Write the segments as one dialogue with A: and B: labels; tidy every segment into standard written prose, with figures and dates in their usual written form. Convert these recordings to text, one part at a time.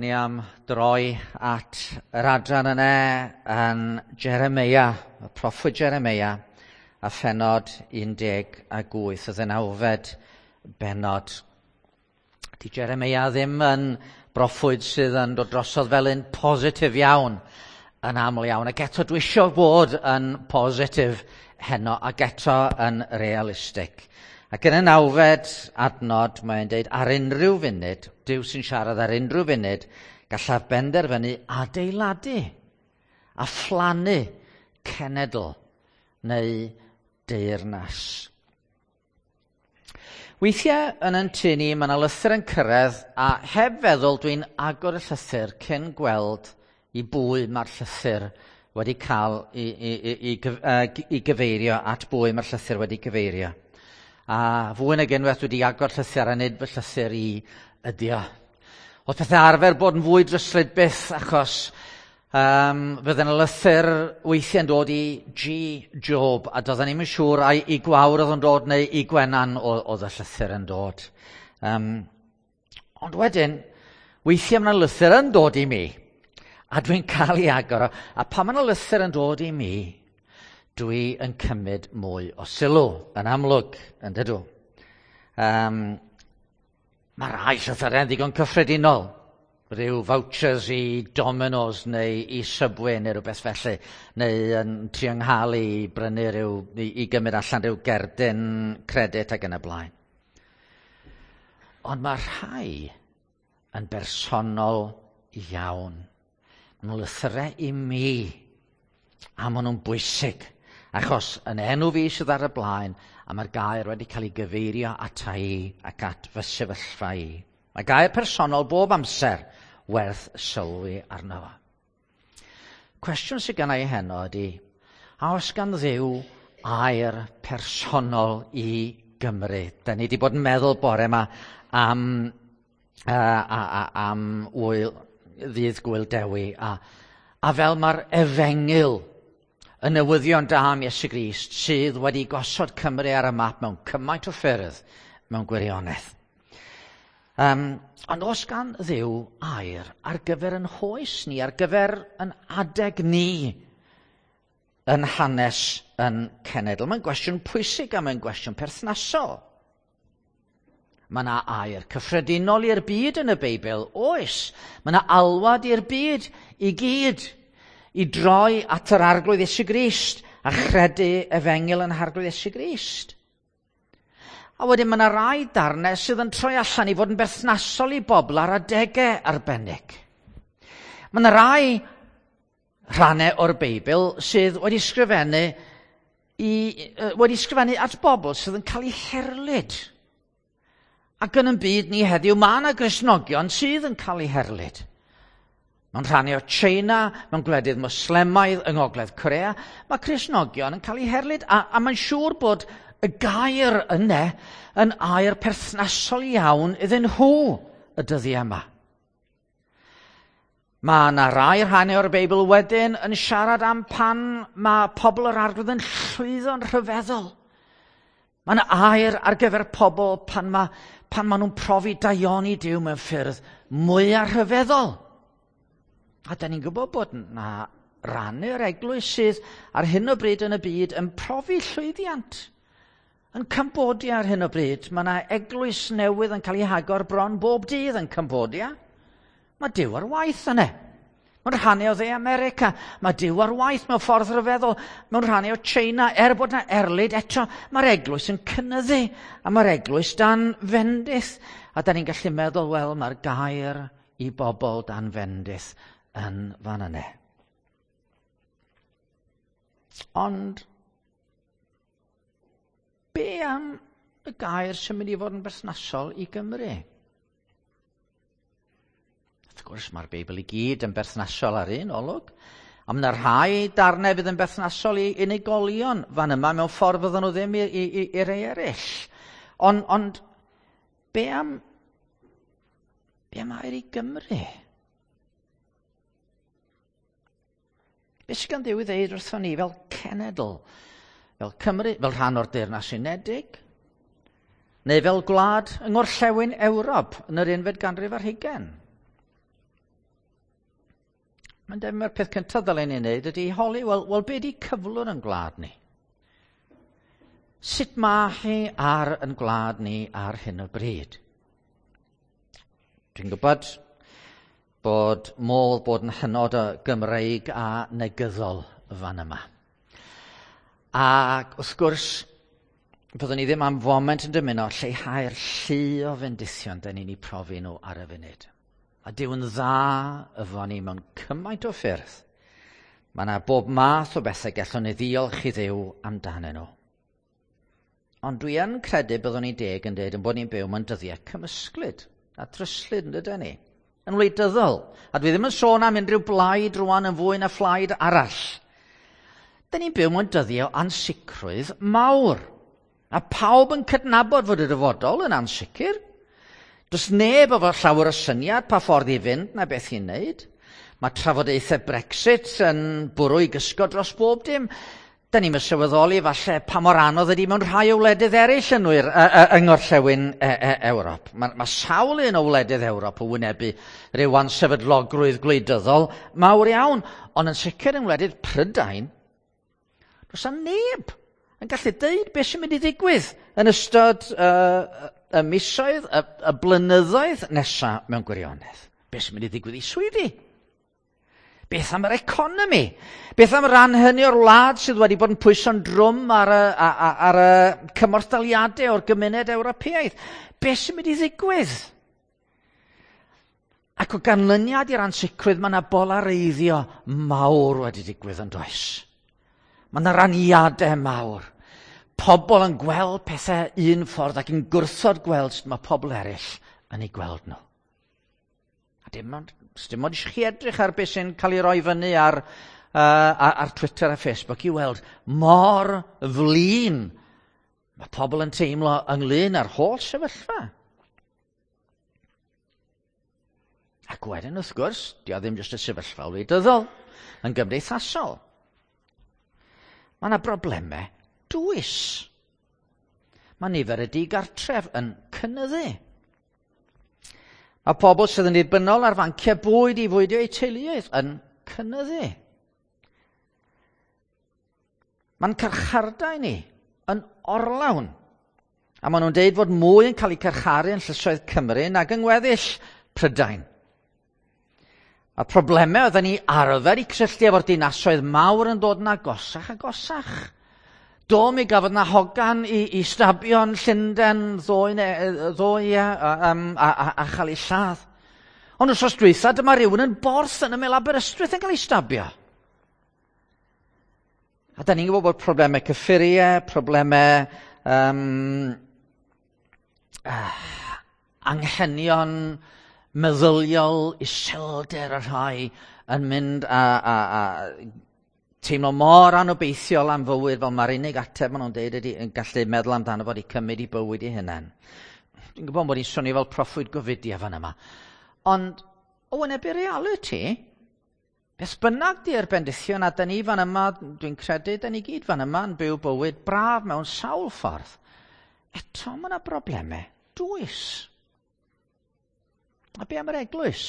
A: Ni am droi at yr adran yna yn Jeremia, y proffwyd Jeremia, a phenod 18, y ddeunawfed bennod. Di Jeremia ddim yn broffwyd sydd yn dod drosodd fel un positif iawn yn aml iawn. Ac eto dwi eisiau bod yn positif heno ac eto yn realistig. Ac yn y nawfed adnod mae'n deud ar unrhyw funud, Duw sy'n siarad ar unrhyw funud, gallaf benderfynu adeiladu a phlannu cenedl neu deyrnas. Weithiau yn yn tŷ ni, mae yna lythyr yn cyrraedd a heb feddwl dwi'n agor y llythyr cyn gweld i bwy mae'r llythyr wedi cael i gyfeirio, at bwy mae'r llythyr wedi gyfeirio. A fwy nag unwaith wedi agor llythyr a nid fy llythyr i ydi o. Oedd pethau arfer bod yn fwy dryslyd byth achos fydden y lythyr weithiau'n dod i G. Job a doedden ni'm yn siŵr ai i Gwawr oedd yn dod neu i Gwenan oedd y llythyr yn dod. Ond wedyn, weithiau mae yna lythyr yn dod i mi a dwi'n cael ei agor o, a pan mae yna lythyr yn dod i mi, dwi yn cymryd mwy o sylw, yn amlwg, yn dydw. Mae rhai llythyrau'n ddigon cyffredinol, rhyw vouchers i Domino's neu i Subway neu rhywbeth felly, neu yn trio nghael i brynu rhyw, i gymryd allan rhyw gerdyn credit ac yn y blaen. Ond mae rhai yn bersonol iawn. Maen nhw'n lythyrau i mi, a maen nhw'n bwysig, achos yn enw fi sydd ar y blaen, a mae'r gair wedi cael ei gyfeirio ata i ac at fy sefyllfa i. Mae gair personol bob amser werth sylwi arno fo. Cwestiwn sydd gen i heno ydy, a oes gan Dduw air personol i Gymru? Da ni wedi bod yn meddwl bore yma am wyl, ddydd Gŵyl Dewi, a fel mae'r efengyl, y newyddion da am Iesu Grist sydd wedi gosod Cymru ar y map mewn cymaint o ffyrdd mewn gwirionedd. Ond oes gan Dduw air ar gyfer yn hoes ni, ar gyfer yn adeg ni yn hanes yn cenedl? Mae'n gwestiwn pwysig a mae'n gwestiwn perthnasol. Mae yna air cyffredinol i'r byd yn y Beibl, oes. Mae yna alwad i'r byd i gyd i droi at yr Arglwydd Iesu Grist a chredu efengyl yn Arglwydd Iesu Grist. A wedyn mae yna rai darnau sydd yn troi allan i fod yn berthnasol i bobl ar adegau arbennig. Mae yna rai rhannau o'r Beibl sydd wedi sgrifennu at bobl sydd yn cael eu herlid. Ac yn y byd ni heddiw, mae yna Gristnogion sydd yn cael eu herlid. Mewn rhannau o China, mewn gwledydd Moslemaidd yng Ngogledd Corea, mae Cristnogion yn cael eu herlid, a mae'n siŵr bod y gair yna yn air perthnasol iawn iddyn nhw y dyddiau yma. Mae yna rai rhannau o'r Beibl wedyn yn siarad am pan mae pobl yr Arglwydd yn llwyddo'n rhyfeddol. Mae yna air ar gyfer pobl pan ma nhw'n profi daioni Duw mewn ffyrdd mwyaf rhyfeddol. A da ni'n gwybod bod yna rannu'r eglwys sydd ar hyn o bryd yn y byd yn profi llwyddiant. Yn Cambodia ar hyn o bryd, mae yna eglwys newydd yn cael ei hagor bron bob dydd yn Cambodia. Mae Duw ar waith yna. Mewn rhannau o Dde America, mae Duw ar waith mewn ffordd rhyfeddol. Mewn rhannau o China, er bod yna erlid eto, mae'r eglwys yn cynyddu a mae'r eglwys dan fendith. A da ni'n gallu meddwl, wel, mae'r gair i bobl dan fendith yn fan yna. Ond be am y gair sy'n mynd i fod yn berthnasol i Gymru? Wrth gwrs, mae'r Beibl i gyd yn berthnasol ar un olwg. A mae yna rhai darnau fydd yn berthnasol i unigolion fan yma mewn ffordd fydden nhw ddim i rei eraill. Ond be am air i Gymru? Be sydd gan Dduw i ddeud wrthon ni fel cenedl, fel Cymru, fel rhan o'r Deyrnas Unedig, neu fel gwlad yng Ngorllewin Ewrop yn yr 21fed ganrif ar hugain? Mae'n debyg mae'r peth cyntaf ddylen ni wneud ydy holi, wel, wel be di cyflwr yn gwlad ni? Sut mae hi ar yn gwlad ni ar hyn o bryd? Dwi'n gwybod bod modd bod yn hynod o Gymreig a negyddol fan yma. Ac wrth gwrs, byddwn ni ddim am foment yn dymuno lleihau'r llu o fendithion da ni'n eu profi nhw ar y funud. A Duw yn dda efo ni mewn cymaint o ffyrdd. Mae yna bob math o bethau gallwn ni ddiolch i Dduw amdanyn nhw. Ond dwi yn credu byddwn ni'n deg yn dweud yn bod ni'n byw mewn dyddiau cymysglyd a dryslyd yn dydyn ni. Yn wleidyddol. A dwi ddim yn sôn am unrhyw blaid rwan yn fwy na phlaid arall. Dyn ni'n byw mewn dyddiau o ansicrwydd mawr. A pawb yn cydnabod fod y dyfodol yn ansicr. Does neb efo llawer o syniad pa ffordd i fynd na beth i'n wneud. Mae trafodaethau Brexit yn bwrw i gysgod dros bob dim. Da ni'n sylweddoli falle pa mor anodd ydy mewn rhai o wledydd eraill yn wir, yng ngorllewin Ewrop. Mae, mae sawl un o wledydd Ewrop yn wynebu rhyw ansefydlogrwydd gwleidyddol mawr iawn, ond yn sicr yng ngwledydd Prydain, does 'na neb yn gallu deud beth sy'n mynd i ddigwydd yn ystod y misoedd, y blynyddoedd nesaf mewn gwirionedd. Beth sy'n mynd i ddigwydd i swyddi? Beth am yr economi? Beth am ran hynny o'r wlad sydd wedi bod yn pwyso'n drwm ar y, ar y cymorthdaliadau o'r gymuned Ewropeaidd? Beth sy'n mynd i ddigwydd? Ac o ganlyniad i'r ansicrwydd, mae yna bolareiddio mawr wedi digwydd yn does. Mae yna raniadau mawr. Pobl yn gweld pethau un ffordd ac yn gwrthod gweld sut mae pobl eraill yn ei gweld nhw. A dim ond, dim ond eisiau chi edrych ar beth sy'n cael ei roi fyny ar, ar Twitter a Facebook i weld mor flin mae pobl yn teimlo ynglyn â'r holl sefyllfa. Ac wedyn, wrth gwrs, di o ddim jyst y sefyllfa wleidyddol, yn gymdeithasol. Mae yna broblemau dwys. Mae nifer y digartref yn cynyddu. Mae pobl sydd yn ddibynnol ar fanciau bwyd i fwydio eu teuluoedd yn cynyddu. Mae'n carchardau ni yn orlawn. A maen nhw'n deud fod mwy yn cael eu carcharu yn llysoedd Cymru nag yng ngweddill Prydain. A problemau oedden ni arfer i cysylltu efo'r dinasoedd mawr yn dod yn agosach agosach. Do, mi gafodd na hogan i, i stabio'n Llundain ddoe, ddoe a, a, a, a, a chael ei lladd. Ond wrth dwytha, dyma rhywun yn Borth yn ymyl Aberystwyth yn cael ei stabio. A da ni'n gwybod bod problemau cyffuriau, problemau um, anghenion meddyliol, iselder y rhai yn mynd a, a, a teimlo mor anobeithiol am fywyd fel mae'r unig ateb maen nhw'n deud ydy yn gallu meddwl amdano fod i cymryd i bywyd i hunain. Dwi'n gwybod bod i'n swnio fel proffwyd gofidia fan yma. Ond o wynebu reality, beth bynnag di'r bendithion a da ni fan yma, dwi'n credu, da ni gyd fan yma yn byw bywyd braf mewn sawl ffordd. Eto mae yna broblemau dwys. A be am yr eglwys?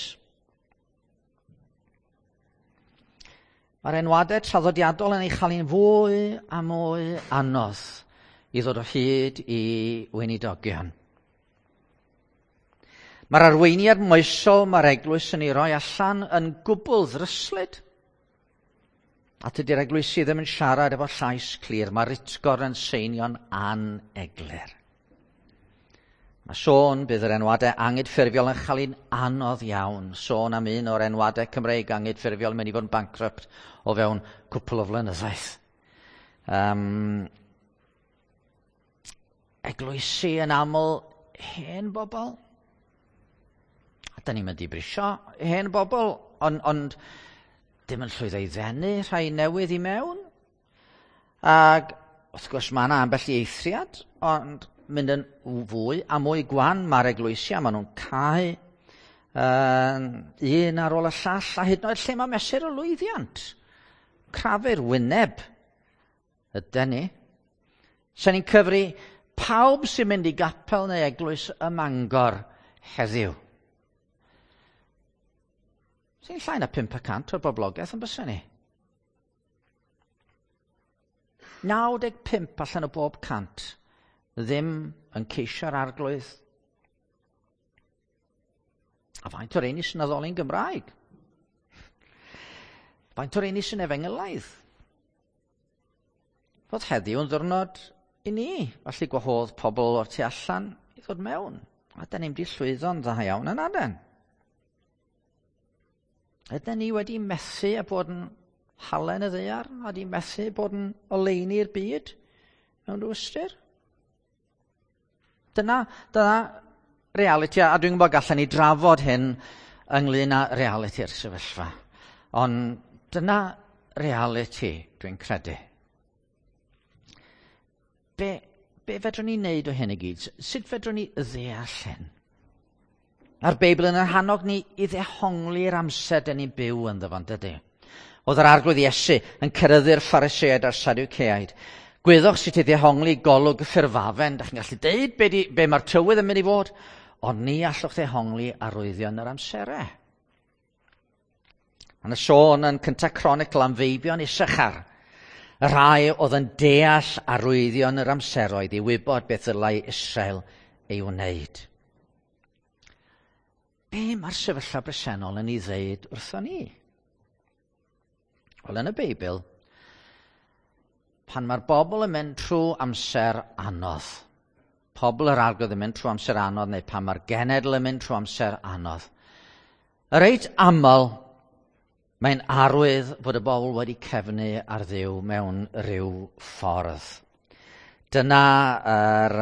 A: Mae'r enwadau traddodiadol yn ei chael hi'n fwy a mwy anodd i ddod o hyd i weinidogion. Mae'r arweiniad moesol mae'r eglwys yn ei roi allan yn gwbl ddryslyd. A tydi'r eglwysi ddim yn siarad efo llais clir, mae'r utgor yn seinio'n aneglur. Mae sôn bydd yr enwadau angydffurfiol yn chael un anodd iawn. Sôn am un o'r enwadau Cymreig angydffurfiol yn mynd i fod yn bankrupt o fewn cwpl o flynyddoedd. Um, eglwysi yn aml hen bobl. A da ni'n mynd i brisio hen bobl, ond, ond dim yn llwyddo i ddenu rhai newydd i mewn. Ac wrth gwrs mae yna ambell i eithriad, ond mynd yn fwy a mwy gwan mae'r eglwysi a maen nhw'n cau un ar ôl y llall a hyd yn oed lle mae mesur o lwyddiant. Crafu'r wyneb ydy ni. Sa'n ni'n cyfri pawb sy'n mynd i gapel neu eglwys ym Mangor heddiw. Sy'n llai na 5% o'r boblogaeth yn bysa ni. 95 allan o bob 100 ddim yn ceisio'r Arglwydd. A faint o'r rheini sy'n addoli'n Gymraeg? Faint o'r rheini sy'n efengylaidd? Fod heddiw yn ddiwrnod i ni, felly gwahodd pobl o'r tu allan i ddod mewn. A da ni'n di llwyddo'n dda iawn yn aden. Ydyn ni wedi methu a bod yn halen y ddaear, a di methu bod yn oleuni'r byd mewn rhyw ystyr? Dyna reality, a dwi'n gwybod gallen ni drafod hyn ynglyn â realiti'r sefyllfa. Ond dyna reality, dwi'n credu. Be fedrwn ni wneud o hyn i gyd? Sut fedrwn ni ddeall hyn? A'r Beibl yn hannog ni i ddehongli'r amser dyn ni'n byw ynddo fo'n dydy. Oedd yr Arglwydd Iesu yn ceryddu'r Phariseaid a'r Sadwceaid. Gwyddoch sut i ddehongli golwg y ffurfafen. Dach chi'n gallu deud be mae'r tywydd yn mynd i fod, ond ni allwch ddehongli arwyddion yr amserau. Mae yna sôn yn Cyntaf Cronicl am feibion Issachar, y rhai oedd yn deall arwyddion yr amseroedd i wybod beth ddylai Israel ei wneud. Be mae'r sefyllfa bresennol yn ei ddeud wrthon ni? Wel, yn y Beibl, pan mae'r bobl yn mynd trwy amser anodd, pobl yr Arglwydd yn mynd trwy amser anodd, neu pan mae'r genedl yn mynd trwy amser anodd, reit aml mae'n arwydd fod y bobl wedi cefnu ar Dduw mewn rhyw ffordd. Dyna yr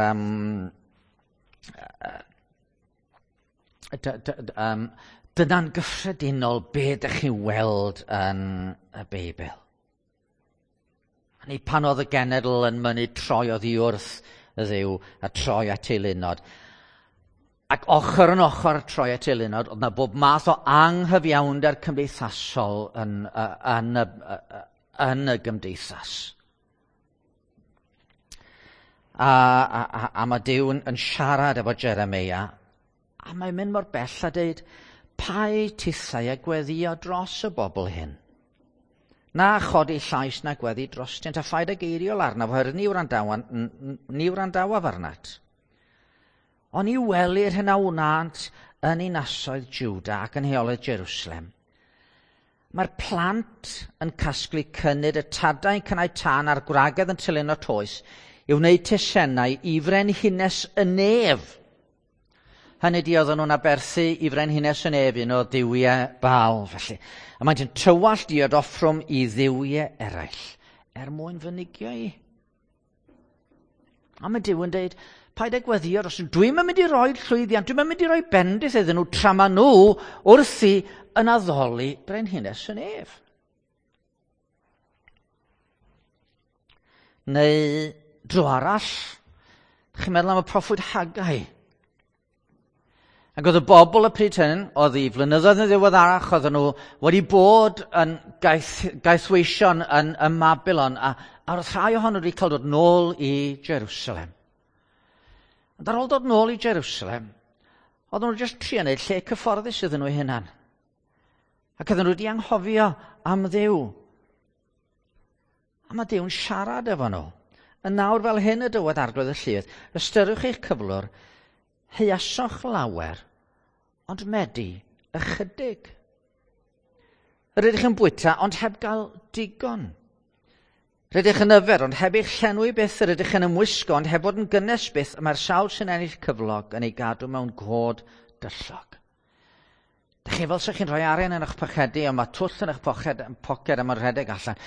A: dyna'n gyffredinol be ydych chi'n weld yn y Beibl. Neu pan oedd y genedl yn mynnu troi oddi wrth y Dduw a troi at eilunod. Ac ochr yn ochr troi at eilunod, oedd yna bob math o anghyfiawnder cymdeithasol yn y gymdeithas. A mae Duw yn siarad efo Jeremeia, a mae'n mynd mor bell a dweud, paid tithau a gweddio dros y bobl hyn. Na chodi llais na gweddi drostynt, a phaid ag eiriol arnaf, oherwydd ni wrandawaf arnat. Ond i welir hyn a wnânt yn ninasoedd Juda ac yn heolydd Jerusalem. Mae'r plant yn casglu cynnydd, y tadau yn cynnau tân a'r gwragedd yn tylino toes i wneud teisennau i frenhines y nef. Hynny di oedden nhw'n aberthu i frenhines y nef, un o dduwiau Baal, felly. A maent yn tywallt diod offrwm i dduwiau eraill, er mwyn fy nigio i. A mae Duw yn dweud, paid â gweddio dros nhw. Dwi'm yn mynd i roi llwyddiant, dwi'm yn mynd i roi bendith iddyn nhw tra ma nhw wrthi yn addoli brenhines y nef. Neu dro arall, chi'n meddwl am y proffwyd Haggai. Ac oedd y bobl y pryd hyn, oedd i flynyddoedd yn ddiweddarach, oedden nhw wedi bod yn gaethweision yn Babylon, a oedd rhai ohonyn nhw wedi cael dod nôl i Jerusalem. Ond ar ôl dod nôl i Jerusalem, oedden nhw jyst trio wneud lle cyfforddus iddyn nhw eu hunan. Ac oedden nhw wedi anghofio am Dduw. A mae Duw'n siarad efo nhw. Yn nawr fel hyn y dywed Arglwydd y Lludd, ystyriwch eich cyflwr, heiasoch lawer, ond medi ychydig. Yr ydych yn bwyta, ond heb gael digon. Rydych yn yfed, ond heb eich llenwi byth. Yr ydych yn ymwisgo, ond heb fod yn gynnes byth. Y mae'r sawl sy'n ennill cyflog yn ei gadw mewn god dyllog. Dych chi fel sa'ch chi'n rhoi arian yn eich pocedi, ond mae twll yn eich poced a mae'n rhedeg allan.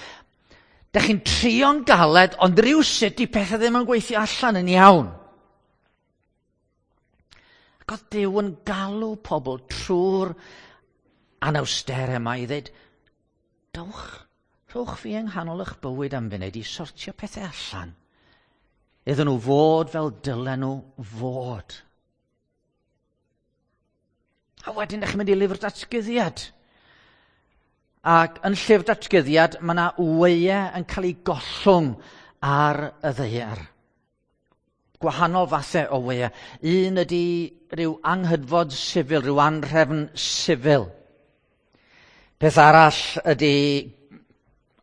A: Dych chi'n trio'n galed, ond rhywsut di pethau ddim yn gweithio allan yn iawn. Ac oedd Duw yn galw pobl trwy'r anawsterau yma i ddweud, dowch, rhowch fi yng nghanol eich bywyd am funud i sortio pethau allan. Iddyn nhw fod fel dylen nhw fod. A wedyn ydych chi'n mynd i lyfr datguddiad. Ac yn llyfr datguddiad mae yna wyau yn cael ei gollwng ar y ddaear. Gwahanol fathau o wyau. Un ydy rhyw anghydfod sifil, rhyw anrhefn sifil. Peth arall ydy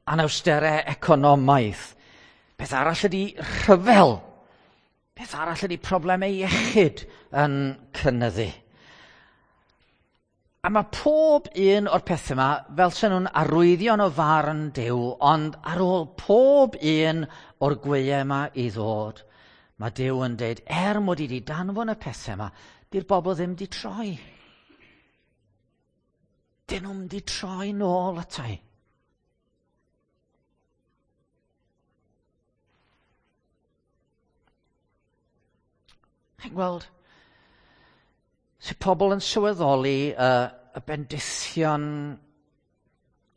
A: anawsterau economaidd. Peth arall ydy rhyfel. Peth arall ydy problemau iechyd yn cynyddu. A mae pob un o'r pethau yma fel sy'n nhw'n arwyddion o farn Duw, ond ar ôl pob un o'r gwyau yma i ddod, mae Duw yn dweud, er mod i wedi danfon y pethau yma, di'r bobl ddim wedi troi. Dyn nhw'n wedi troi nôl atai. Chi'n gweld, sut pobl yn sylweddoli y bendithion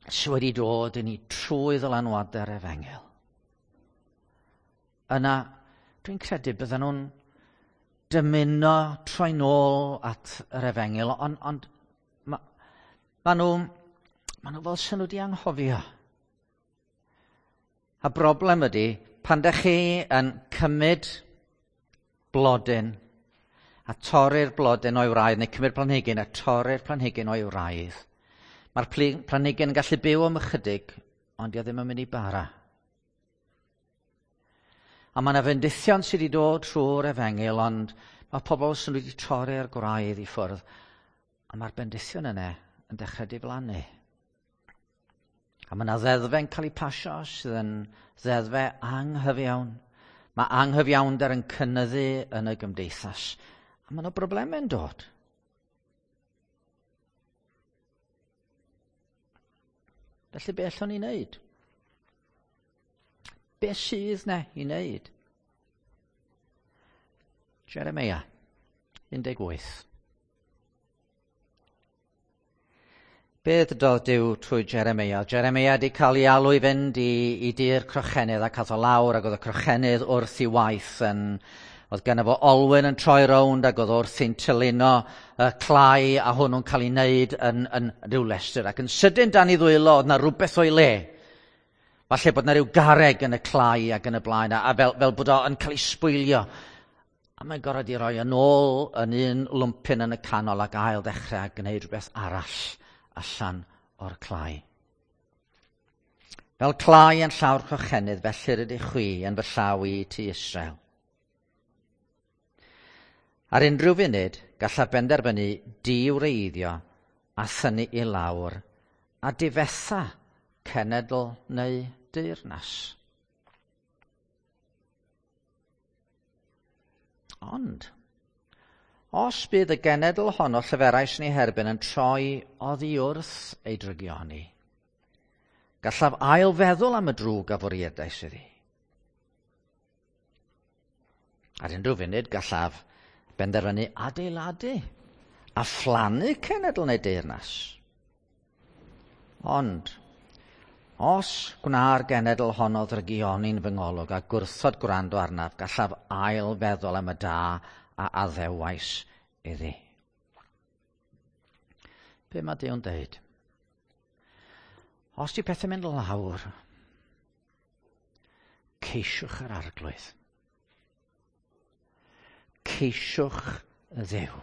A: sydd wedi dod i ni trwy ddylanwadau'r efengyl. Yna, dwi'n credu bydden nhw'n dymuno troi nôl at yr efengyl, ond on, ma, ma nhw, ma nhw fel sy'n nhw wedi anghofio. A broblem ydy, pan dych chi yn cymryd blodyn a torri'r blodyn o'i wraidd, neu cymryd planhigyn a torri'r planhigyn o'i wraidd, mae'r planhigyn yn gallu byw am ychydig, ond dio ddim yn mynd i bara. A mae yna fendithion sydd wedi dod trwy'r efengyl, ond mae pobl sydd wedi torri'r gwraidd i ffwrdd, a mae'r bendithion yna yn dechrau diflannu. A mae yna ddeddfau'n cael eu pasio sydd yn ddeddfau anghyfiawn. Mae anghyfiawnder yn cynyddu yn y gymdeithas. A mae yna broblemau'n dod. Felly be allwn ni wneud? Be sydd na i wneud? Jeremia 18. Be ddydodd Duw trwy Jeremia? Jeremia wedi cael ei alw i fynd i, i dir crochenydd ac ath o lawr ac oedd y crochenydd wrth i waith yn... Oedd gen fo olwyn yn troi rownd ac oedd wrth i'n tylino y clai a hwnnw'n cael ei wneud yn, yn rhyw lestr. Ac yn sydyn dan i ddwylo oedd na rhywbeth o'i le. Falle bod na rhyw garreg yn y clai ac yn y blaen, a, a fel, fel bod o'n cael ei sbwylio. A mae'n gorfod i roi yn ôl yn un lwmpyn yn y canol ac ail ddechrau a gwneud rhywbeth arall allan o'r clai. Fel clai yn llawr crochenydd, felly rydych chwi yn fy llaw i ti Israel. Ar unrhyw funud, gallaf benderfynu diwreiddio a thynnu i lawr a difetha cenedl neu deyrnas. Ond, os bydd y genedl honno llyferais ni herbyn yn troi oddi wrth ei drygioni, gallaf ail feddwl am y drwg a fwriedais iddi. Ar unrhyw funud gallaf benderfynu adeiladu a phlannu cenedl neu deyrnas. Ond, os gwna'r genedl honno ddrygioni'n fy ngolwg a gwrthod gwrando arnaf, gallaf ail feddwl am y da a addewais iddi. Be mae Duw'n deud? Os di pethau'n mynd lawr, ceisiwch yr arglwydd. Ceisiwch y Dduw.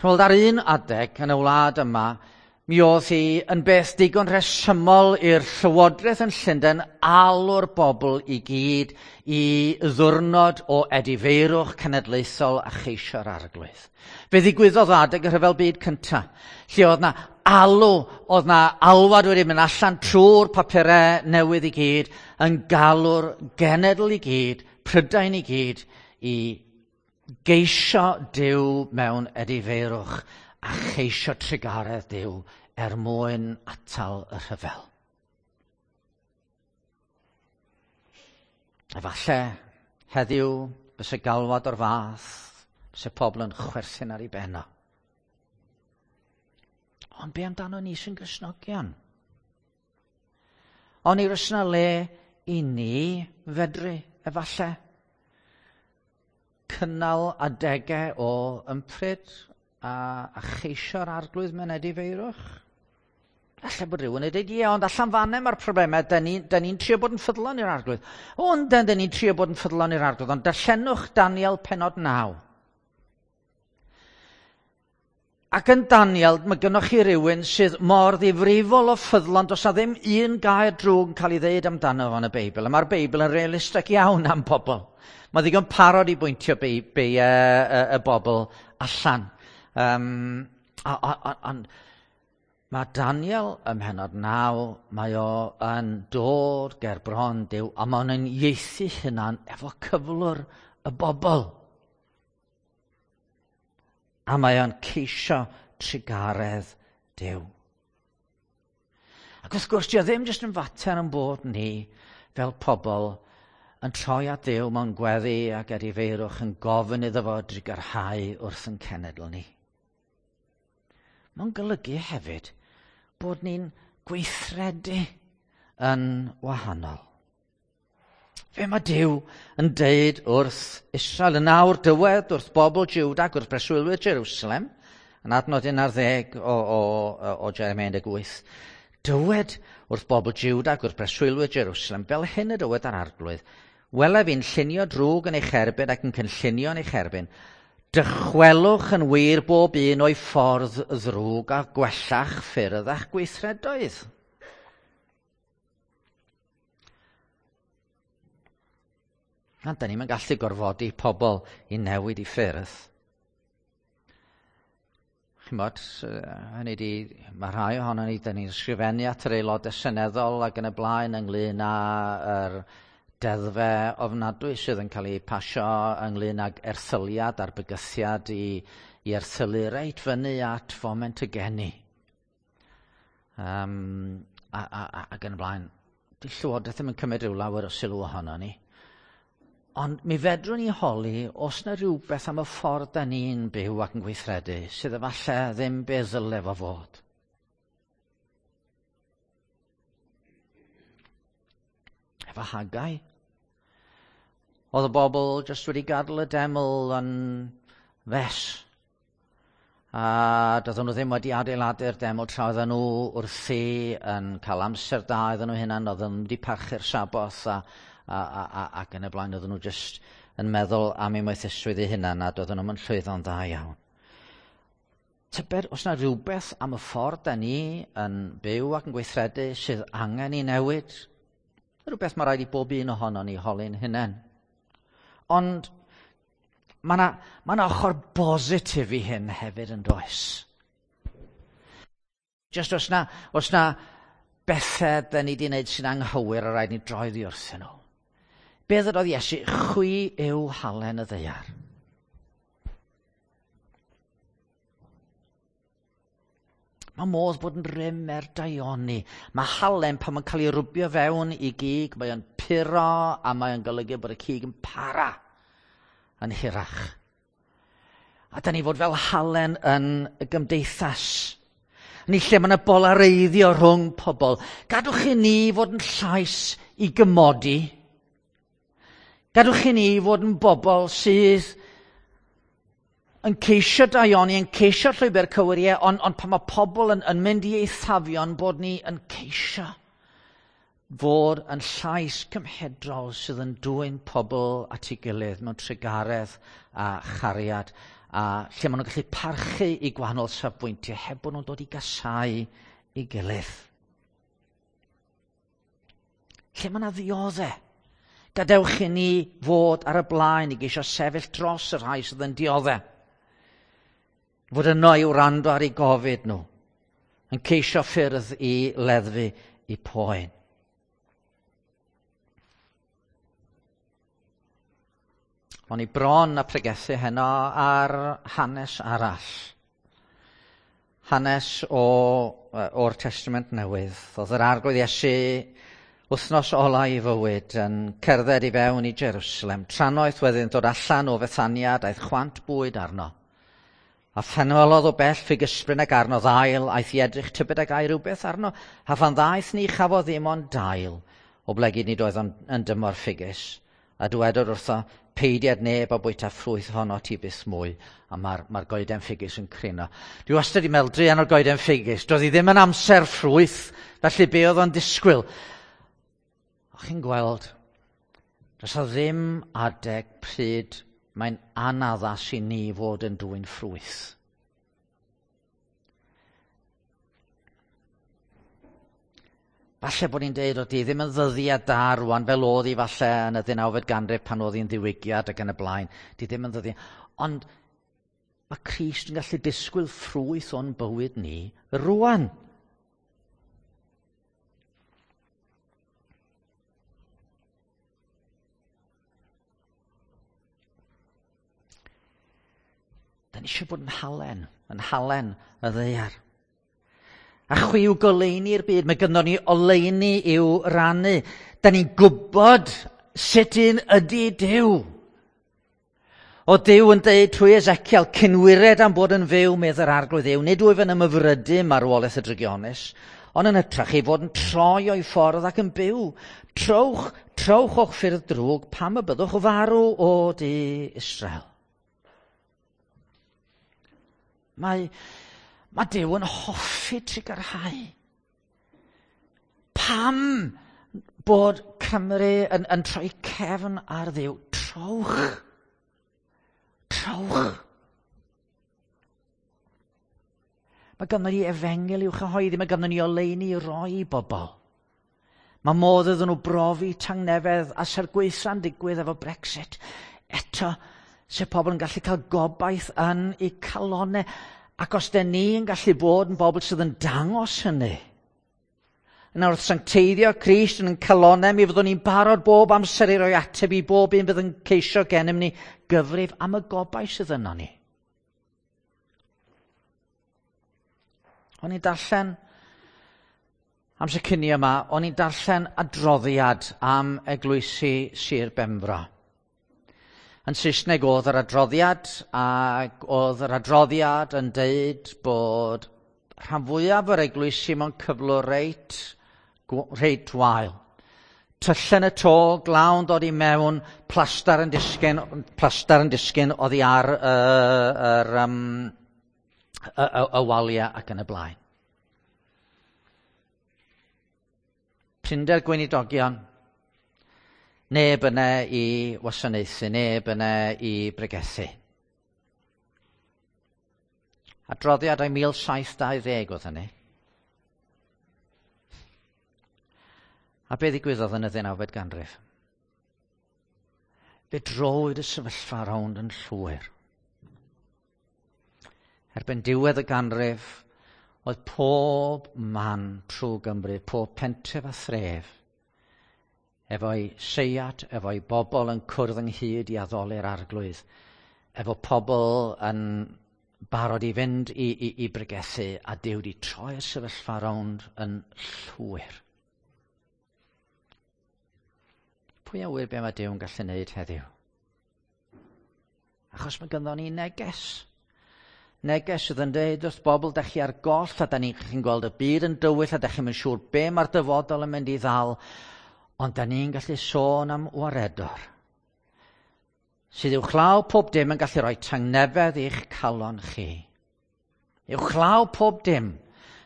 A: Chymod, ar un adeg yn y wlad yma, mi oedd hi yn beth digon rhesymol i'r llywodraeth yn Llundain alw'r bobl i gyd i ddwrnod o edifeirwch cenedlaethol a cheisio'r arglwydd. Fe ddigwyddodd adeg y rhyfel byd cyntaf, lle oedd na alw, oedd na alwad wedi mynd allan trwy'r papurau newydd i gyd, yn galw'r genedl i gyd, Prydain i gyd, i geisio Duw mewn edifeirwch a cheisio trugaredd Duw er mwyn atal y rhyfel. Efallai heddiw fysa galwad o'r fath, fysa pobl yn chwerthin ar ei benno. Ond be amdano ni sy'n Gristnogion? Ond i oes 'na le i ni fedru, efallai, cynnal adegau o ympryd a, a cheisio'r arglwydd mewn edifeirwch? Alla bod rhywun yn dweud, ie, ond allan fanne mae'r problemau, da ni'n ni, trio bod yn ffyddlon i'r arglwydd. O, yndan, da ni'n trio bod yn ffyddlon i'r arglwydd, ond darllenwch Daniel penod 9. Ac yn Daniel, mae gynnoch chi rywun sydd mor ddifrifol o ffyddlon, does na ddim un gair drwg yn cael ei ddeud amdano fo yn y Beibl. A mae'r Beibl yn realistig iawn am bobl. Mae ddigon parod i bwyntio y bobl allan. Ond mae Daniel ym mhennod 9, mae o yn dod ger bron Duw, a mae o'n ieithu hunan efo cyflwr y bobl. A mae o'n ceisio trugaredd Duw. Ac wrth gwrs, dio ddim jyst yn fater yn bod ni fel pobl yn troi at Dduw mewn gweddi ac edifeirwch yn gofyn iddo fo drugarhau wrth yn cenedl ni. Mae'n golygu hefyd bod ni'n gweithredu yn wahanol. Fe mae Duw yn deud wrth Israel yn awr dywed wrth bobl Juda ac wrth breswylwyr Jerusalem, yn adnod 11 o Jeremia 18, dywed wrth bobl Juda ac wrth breswylwyr Jerusalem, fel hyn y dywed ar Arglwydd, wele fi'n llunio drwg yn eich erbyn ac yn cynllunio yn eich erbyn, dychwelwch yn wir bob un o'i ffordd ddrwg a gwella'ch ffyrdd a'ch gweithredoedd. Na, da ni'm yn gallu gorfodi pobl i newid i ffyrdd. Chimod, hynny di, mae rhai ohono ni, da ni'n ysgrifennu at yr aelodau seneddol ac yn y blaen ynglyn â'r deddfau ofnadwy sydd yn cael eu pasio ynglyn ag erthyliad a'r bygythiad i erthylu reit fyny at foment y geni. Ac yn y blaen, di Llywodraeth ddim yn cymryd rhyw lawer o sylw ohono ni. Ond mi fedrwn ni holi os na rhywbeth am y ffordd da ni'n byw ac yn gweithredu sydd efallai ddim be ddyle fo fod. Efo Haggai. Oedd y bobl jyst wedi gadael y deml yn fes. A doedden nhw ddim wedi adeiladu'r deml tra oedden nhw wrthi yn cael amser da iddyn nhw hunan, oedden nhw wedi parchu'r Saboth ac yn y blaen, oedden nhw jyst yn meddwl am eu moethusrwydd eu hunan a doedden nhw'm yn llwyddo'n dda iawn. Tybed os na rhywbeth am y ffordd da ni yn byw ac yn gweithredu sydd angen i newid? Rhywbeth mae rhaid i bob un ohono ni holi'n hunain. Ond mae 'na ochr bositif i hyn hefyd yn does. Just os na bethau da ni wedi wneud sy'n anghywir a rhaid ni droi ddi wrthyn nhw. Be ddydodd Iesu? Chwi yw halen y ddaear. Mae modd bod yn rym er daioni. Mae halen pan mae'n cael ei rwbio fewn i gig, mae o'n puro a mae o'n golygu bod y cig yn para yn hirach. A da ni fod fel halen yn y gymdeithas. Ni lle mae yna bolareiddio rhwng pobl. Gadwch i ni fod yn llais i gymodi. Gadwch i ni fod yn bobl sydd yn ceisio daioni, yn ceisio llwybr cywir, ond pan mae pobl yn mynd i eithafion, bod ni yn ceisio fod yn llais cymhedrol sydd yn dwyn pobl at ei gilydd mewn trugaredd a chariad, a lle maen nhw'n gallu parchu i gwahanol safbwyntiau heb bod nhw'n dod i gasau ei gilydd. Lle mae yna ddioddau, gadewch i ni fod ar y blaen i geisio sefyll dros y rhai sydd yn dioddau. Fod yno i wrando ar eu gofid nhw, yn ceisio ffyrdd i leddfu eu poen. O'n i bron a pregethu heno ar hanes arall. Hanes o'r Testament Newydd. Oedd yr Arglwydd Iesu wythnos ola i fywyd yn cerdded i fewn i Jerusalem. Trannoeth wedyn dod allan o Fethania, daeth chwant bwyd arno. A phenwelodd o bell ffigysbryn ac arno ddail, aeth i edrych tybed ag ai rhywbeth arno, a phan ddaeth ni chafodd ddim ond dail, oblegid nid oedd yn dymor ffigus. A dywedodd wrtho, peidiad neb a bwyta ffrwyth honno ti byth mwy. A mae'r goeden ffigus yn crino. Dwi wastad wedi meddwl druan o'r goeden ffigus. Doedd hi ddim yn amser ffrwyth, felly be oedd o'n disgwyl? O chi'n gweld, does o ddim adeg pryd mae'n anaddas i ni fod yn dwyn ffrwyth. Falle bod ni'n deud, o di ddim yn ddyddiad da rwan, fel oedd hi falle yn y 19fed ganrif pan oedd hi'n ddiwygiad ac yn y blaen. Di ddim yn ddyddiad. Ond mae Crist yn gallu disgwyl ffrwyth o'n bywyd ni rwan. Da ni eisiau bod yn halen y ddaear. A chwi yw goleuni'r byd, mae gynnon ni oleuni i'w rannu. Da ni'n gwybod sut un ydy Duw. O Duw yn deud trwy Ezekiel, cynwired am bod yn fyw, medd yr Arglwydd Dduw, nid wyf yn ymhyfrydu marwolaeth y drygionus, ond yn hytrach ei fod yn troi o'i ffordd ac yn byw. Trowch, trowch o'ch ffyrdd drwg, pam y byddwch farw o du Israel. Mae Duw yn hoffi trugarhau. Pam bod Cymru yn troi cefn ar Dduw? Trowch. Trowch. Mae ganddo ni efengyl i'w chyhoeddi, mae ganddo ni oleuni i roi i bobl. Mae modd iddyn nhw brofi tangnefedd a sy'r gwaetha'n digwydd efo Brexit. Eto, se pobl yn gallu cael gobaith yn eu calonau. Ac os den ni'n gallu bod yn bobl sydd yn dangos hynny, yna wrth sancteiddio Crist yn ein calonau, mi fyddwn ni'n barod bob amser i roi ateb i bob un fydd yn ceisio gennym ni gyfrif am y gobaith sydd yno ni. O'n i'n darllen, amser cinio yma, o'n i'n darllen adroddiad am eglwysi Sir Benfro. Yn Saesneg oedd yr adroddiad, ac oedd yr adroddiad yn deud bod rhan fwyaf o'r eglwysi mewn cyflwr reit wael. Tyllen y to, glawn dod i mewn, plastar yn disgyn oddi ar y waliau ac yn y blaen. Prinder gweinidogion, neb yna i wasanaethu, neb yna i bregethu. Adroddiad o'i 1720 oedd hynny. A be ddigwyddodd yn y 19fed ganrif? Fe drowyd y sefyllfa rownd yn llwyr. Erbyn diwedd y ganrif, oedd pob man trwy Gymru, pob pentref a thref, efo'i seiat, efo'i bobl yn cwrdd ynghyd i addoli'r Arglwydd, efo pobl yn barod i fynd i bregethu, a Duw wedi troi'r sefyllfa rownd yn llwyr. Pwy a ŵyr be mae Duw yn gallu wneud heddiw? Achos mae ganddo ni neges. Neges sydd yn dweud wrth bobl, da chi ar goll, a da ni'n gweld y byd yn dywyll, a da chi'n siŵr be mae'r dyfodol yn mynd i ddal, ond da ni'n gallu sôn am waredor sydd uwchlaw pob dim yn gallu rhoi tangnefedd i'ch calon chi. Uwchlaw pob dim,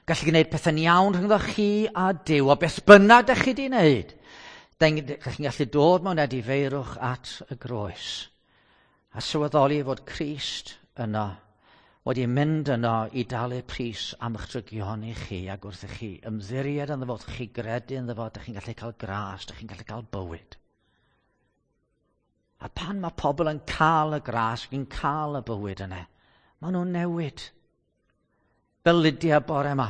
A: gallu gwneud pethau'n iawn rhyngddo chi a Duw, a beth bynnag da chi di wneud, da chi'n gallu dod mewn edifeirwch at y groes, a sylweddoli fod Crist yno, wedi mynd yno i dalu pris am eich drygioni chi, ac wrth i chi ymddiried ynddo fo, wrth i chi gredu ynddo fo, da chi'n gallu cael gras, da chi'n gallu cael bywyd. A pan mae pobl yn cael y gras, yn cael y bywyd yna, maen nhw'n newid. Fel Lydia bore yma.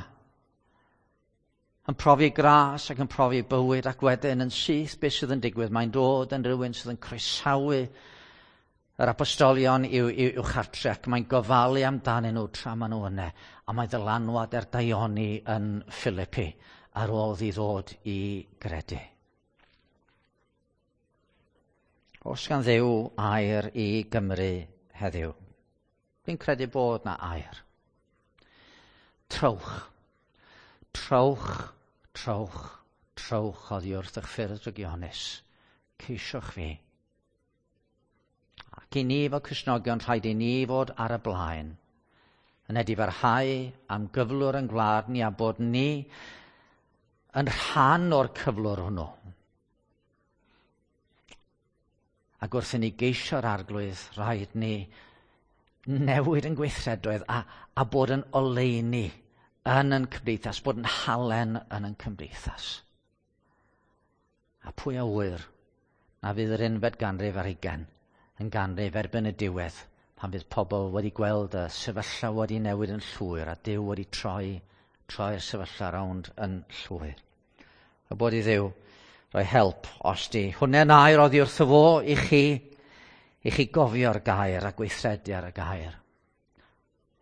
A: Yn profi gras ac yn profi bywyd, ac wedyn yn syth beth sydd yn digwydd, mae'n dod yn rhywun sydd yn croesawu yr apostolion i'w chartre, ac mae'n gofalu amdanyn nhw tra maen nhw yna, a mae ddylanwad er daioni yn Philippi ar ôl iddi ddod i gredu. Oes gan Dduw air i Gymru heddiw? Fi'n credu bod na air. Trowch. Trowch, trowch, trowch oddi wrth eich ffyrdd drygionus. Ceisiwch fi. Ac i ni fel Cristnogion, rhaid i ni fod ar y blaen, yn edifarhau am gyflwr yn gwlad ni a bod ni yn rhan o'r cyflwr hwnnw. Ac wrth i ni geisio'r Arglwydd, rhaid ni newid yn gweithredoedd a bod yn oleuni yn ein cymdeithas, bod yn halen yn ein cymdeithas. A pwy a ŵyr na fydd yr unfed ganrif ar hugain yn ganrif erbyn y diwedd pan fydd pobl wedi gweld y sefyllfa wedi newid yn llwyr a Duw wedi troi, troi'r sefyllfa rownd yn llwyr. A bod i Dduw roi help os di hwnna'n air oddi wrtho fo i chi, i chi gofio'r gair a gweithredu ar y gair.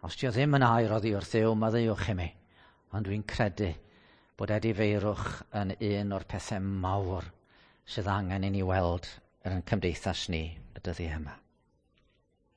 A: Os di o ddim yn air oddi wrth Dduw, maddeuwch i mi. Ond dwi'n credu bod edifeirwch yn un o'r pethau mawr sydd angen i ni weld yn cymdeithas ni y dyddiau yma.